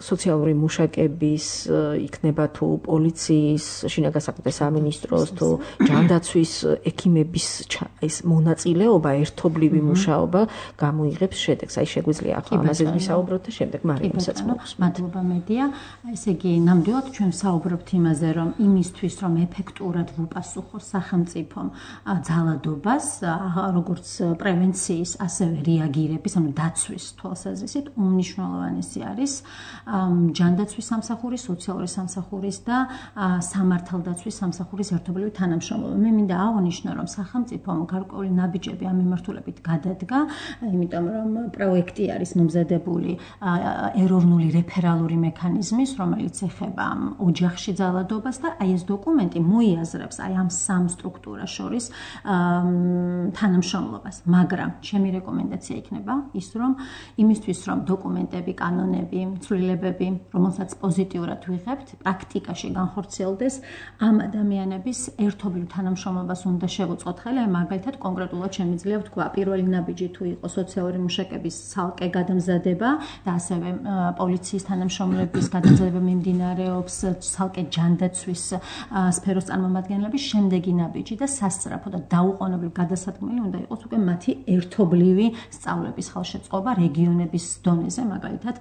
სოციალური მუშაკების იქნება თუ პოლიციის, შინაგან საქმეთა სამინისტროს თუ ჯანდაცვის ექიმების ეს მონაწილეობა, ერთობლივი მუშაობა გამოიღებს შედეგს. აი შეგვიძლია ახლა ამაზე ვისაუბროთ და შემდეგ მარიამსაც მოგესმით. მადლობა მედია. ესე იგი, ნამდვილად ჩვენ საუბრობთ იმაზე, რომ იმისთვის, რომ ეფექტურად ვუპასუხოთ სახელმწიფომ ძალადობას, როგორც პრევენციის, ასევე რეაგირების, ანუ დაცვის თვალსაზრისით, უმნიშვნელოვანესი არის ჯანდაცვის სამსახურის, სოციალური სამსახურის და სამართალდაცვის სამსახურის ერთობლივი თანამშრომლობა. მე მინდა აღნიშნო, რომ სახელმწიფომ გარკვეული ნაბიჯები ამ მიმართულებით გადადგა, იმიტომ რომ პროექტი არის მომზადებული ეროვნული რეფერალური მექანიზმის, რომელიც ეხება ოჯახში ძალადობას და აი ეს დოკუმენტი მოიაზრებს აი ამ სამ სტრუქტურას შორის თანამშრომლობას, მაგრამ ჩემი რეკომენდაცია იქნება ის, რომ იმისთვის, რომ დოკუმენტები, კანონები, ცვლილებები, რომელსაც პოზიტიურად ვიღებთ, პრაქტიკაში განხორციელდეს, ამ ადამიანების ერთობლივ თანამშრომლობას უნდა შევუწყოთ ხელი, აი მაგალითად კონკრეტულად შემიძლია ვთქვა, პირველი ნაბიჯი თუ იყო სოციალური მუშაკების ცალკე გადამზადება და ასევე პოლიციის თანამშრომლების გადამზადება მიმდინარეობს, ცალკე ჯანდაცვის სფეროს წარმომადგენლების, შემდეგი ნაბიჯი და სასწრაფო და დაუყოვნებლივ გადასადგმელი უნდა იყოს უკვე მათი ერთობლივი სწავლების ხალხშეწყობა რეგიონების დონეზე, მაგალითად,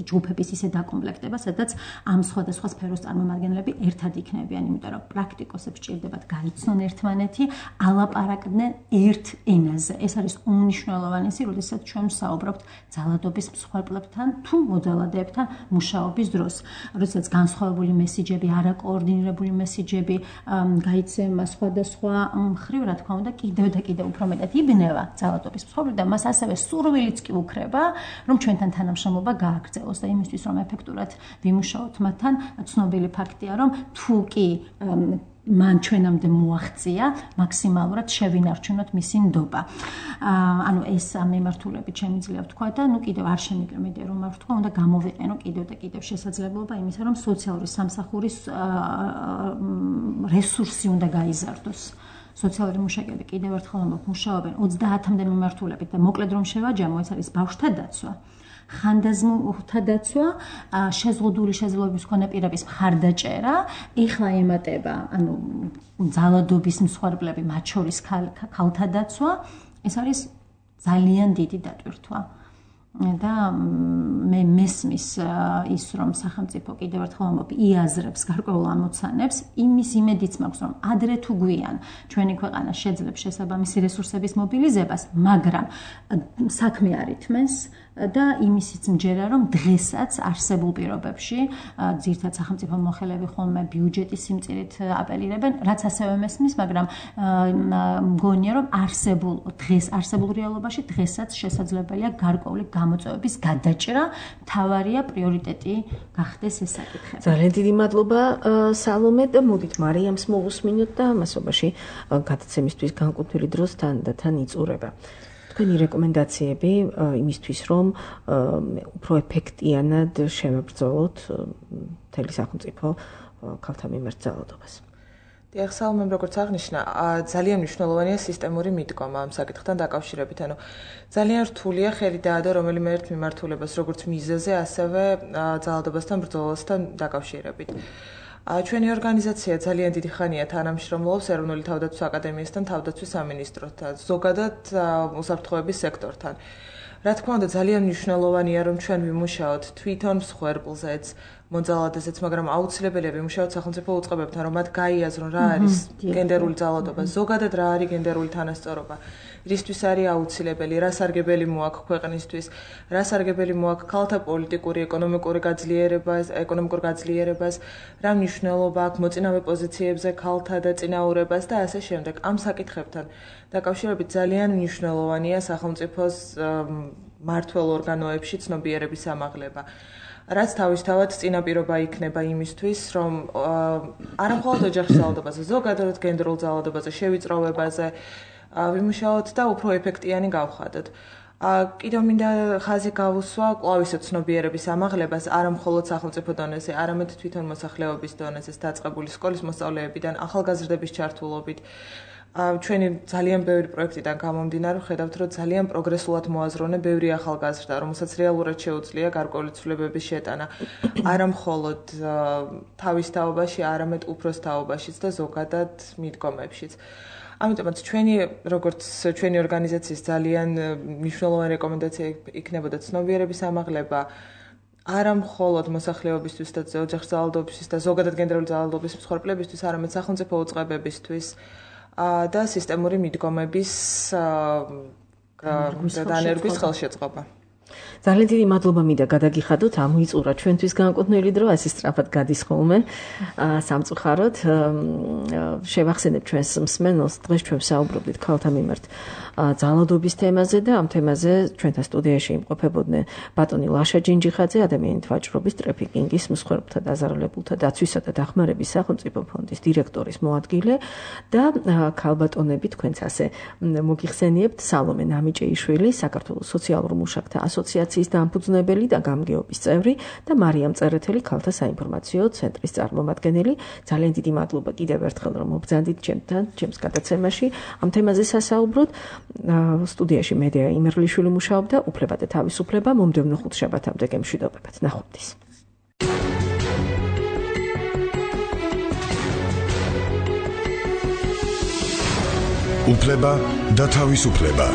ჯგუფების ისე დაკომპლექტება, სადაც ამ სხვადასხვა სფეროს წარმომადგენლები ერთად იქნებიან, იმიტომ რომ პრაქტიკოსებს სჭირდებათ გაიცნონ ერთმანეთი, ალაპარაკდნენ ერთ ენაზე. ეს არის უმნიშვნელოვანესი, როდესაც ჩვენ ვსაუბრობთ ძალადობის მსხვერპლებთან თუ მოძალადეებთან მუშაობის დროს. როდესაც განსხვავებული მესიჯები, არაკოორდინირებული მესიჯები გაიცემა სხვადასხვა მხრივ, რა თქმა უნდა, კიდევ და კიდევ უფრო მეტად იბნევა ძალადობის მსხვერპლი და მას ასევე სურვილიც კი უქრება, რომ ჩვენთან თანამშრომლობა გააგრძელოს და იმისთვის, რომ ეფექტურად ვიმუშაოთ მათთან, ცნობილი ფაქტია, რომ თუ კი მან ჩვენამდე მოაღწია, მაქსიმალურად შევინარჩუნოთ მისი ნდობა. ანუ ეს ამ მიმართულებით შემიძლია ვთქვა და ნუ კიდევ არ შემიგრმედია რომ არ ვთქვა, უნდა გამოვიყენო კიდევ და კიდევ შესაძლებლობა იმისა, რომ სოციალური სამსახურის რესურსი უნდა გაიზარდოს. სოციალური მუშაკები კიდევ ერთხელ მუშაობენ 30-მდე მიმართულებით და მოკლედ რომ შევაჯამო, ეს არის ბავშვთა დაცვა, ხანდაზმულთა დაცვა, შეზღუდული შესაძლებლობის მქონე პირების მხარდაჭერა, ეხლა ემატება, ანუ ძალადობის მსხვერპლები, მათ შორის ქალთა დაცვა, ეს არის ძალიან დიდი დატვირთვა. და მე მესმის ის, რომ სახელმწიფო კიდევ ერთხელ იაზრებს გარკვეულ ამოცანებს, იმის იმედიც მაქვს, რომ ადრე თუ გვიან ჩვენი ქვეყანა შეძლებს შესაბამისი რესურსების მობილიზებას, მაგრამ საქმე არ ითმენს და იმისიც მჯერა, რომ დღესაც არსებულ პირობებში ძირითადად სახელმწიფო მოხელეები ხოლმე ბიუჯეტის სიმწირით აპელირებენ, რაც ასევე მესმის, მაგრამ მგონია, რომ არსებულ რეალობაში დღესაც შესაძლებელია გარკვეული გამოწვევების გადაჭრა, მთავარია პრიორიტეტი გახდეს ეს საკითხი. ძალიან დიდი მადლობა სალომე და მოდით მარიამს მოვუსმინოთ და ამასობაში გადაცემისთვის განკუთვნილი დროს თან იწურება. თქვენი რეკომენდაციები იმისთვის, რომ უფრო ეფექტიანად შევებრძოლოთ მთელი სახელმწიფო ქალთა მიმართ ძალადობას. დიახ, სალომემ როგორც აღნიშნა, ძალიან მნიშვნელოვანია სისტემური მიდგომა ამ საკითხთან დაკავშირებით. ანუ ძალიან რთულია ხელი დაადო რომელიმე ერთ მიმართულებას, როგორც მიზეზზე, ასევე ძალადობასთან ბრძოლასთან დაკავშირებით. ჩვენი ორგანიზაცია ძალიან დიდი ხანია თანამშრომლობს ეროვნული თავდაცვის აკადემიასთან, თავდაცვის სამინისტროსთან, ზოგადად უსაფრთხოების სექტორთან. რა თქმა უნდა, ძალიან მნიშვნელოვანია, რომ ჩვენ ვიმუშაოთ თვითონ მსხვერპლზეც, მოძალადესეც, მაგრამ აუცილებელია ვიმუშაოთ სახელმწიფო უწყებებთან, რომ მათ გაიაზრონ რა არის გენდერული ძალადობა, ზოგადად რა არის გენდერული თანასწორობა, რისთვის არის აუცილებელი, რა სარგებელი მოაქვს ქვეყნისთვის, რა სარგებელი მოაქვს ქალთა პოლიტიკური, ეკონომიკურ გაძლიერებას, რა მნიშვნელობა აქვს მოწინავე პოზიციებზე ქალთა და წინაურებას და ასე შემდეგ. ამ საკითხებთან დაკავშირებით ძალიან მნიშვნელოვანია სახელმწიფოს მმართველ ორგანოებში ცნობიერების ამაღლება. რაც თავისთავად წინაპირობა იქნება იმისთვის, რომ არა მხოლოდ ოჯახში ძალადობაზე, ზოგადად გენდერულ ძალადობაზე, შევიწროვებაზე ვიმუშაოთ და უფრო ეფექტიანი გავხადოთ. კიდევ მინდა ხაზი გავუსვა კვლავისო ცნობიერების ამაღლებას არა მხოლოდ სახელმწიფო დონეზე, არამედ თვითონ მოსახლეობის დონეზეც დაწყებული სკოლის მოსწავლეებიდან, ახალგაზრდების ჩართულობით. ჩვენი ძალიან ბევრი პროექტიდან გამომდინარე ვხედავთ, რომ ძალიან პროგრესულად მოაზროვნე ბევრი ახალგაზრდა, რომელსაც რეალურად შეუძლია გარკვეული ცვლილებების შეტანა, არა მხოლოდ თავის თაობაში, არამედ უფროს თაობაშიც და ზოგადად მიდგომებშიც. ამიტომაც როგორც ჩვენი ორგანიზაციის ძალიან მნიშვნელოვანი რეკომენდაცია იქნებოდა ცნობიერების ამაღლება არა მხოლოდ მოსახლეობისთვის და ოჯახის ძალადობისთვის და ზოგადად გენდერული ძალადობის მსხვერპლებისთვის, არამედ სახელმწიფო უწყებებისთვის და სისტემური მიდგომების დანერგვის ხელშეწყობა. ძალიან დიდი მადლობა მინდა გადაგიხადოთ, ამოიწურა ჩვენთვის განკუთვნილი დრო, ასე სწრაფად გადის ხოლმე სამწუხაროდ. შევახსენებ ჩვენს მსმენელს, დღეს ჩვენ საუბრობდით ქალთა მიმართ ძალადობის თემაზე და ამ თემაზე ჩვენთან სტუდიაში იმყოფებოდნენ ბატონი ლაშა ჯინჯიხაძე, ადამიანით ვაჭრობის, ტრეფიკინგის, მსხვერპლთა დაზარალებულთა დაცვისა და დახმარების სახელმწიფო ფონდის დირექტორის მოადგილე და ქალბატონები თქვენც ასე მოგიხსენიებთ სალომე ნამიჭეიშვილი, საქართველოს სოციალურ მუშაკთა ასოციაციის დამფუძნებელი და გამგეობის წევრი და მარიამ წერეთელი, ქალთა საინფორმაციო ცენტრის წარმომადგენელი. ძალიან დიდი მადლობა კიდევ ერთხელ, რომ მობრძანდით ჩემს გადაცემაში ამ თემაზე სასაუბროთ. სტუდიაში მედია იმერლიშვილი მუშაობდა, უფლება და თავისუფლება მომდევნო ხუთშაბათამდე გემშვიდობებად. ნახვამდის. უფლება და თავისუფლება.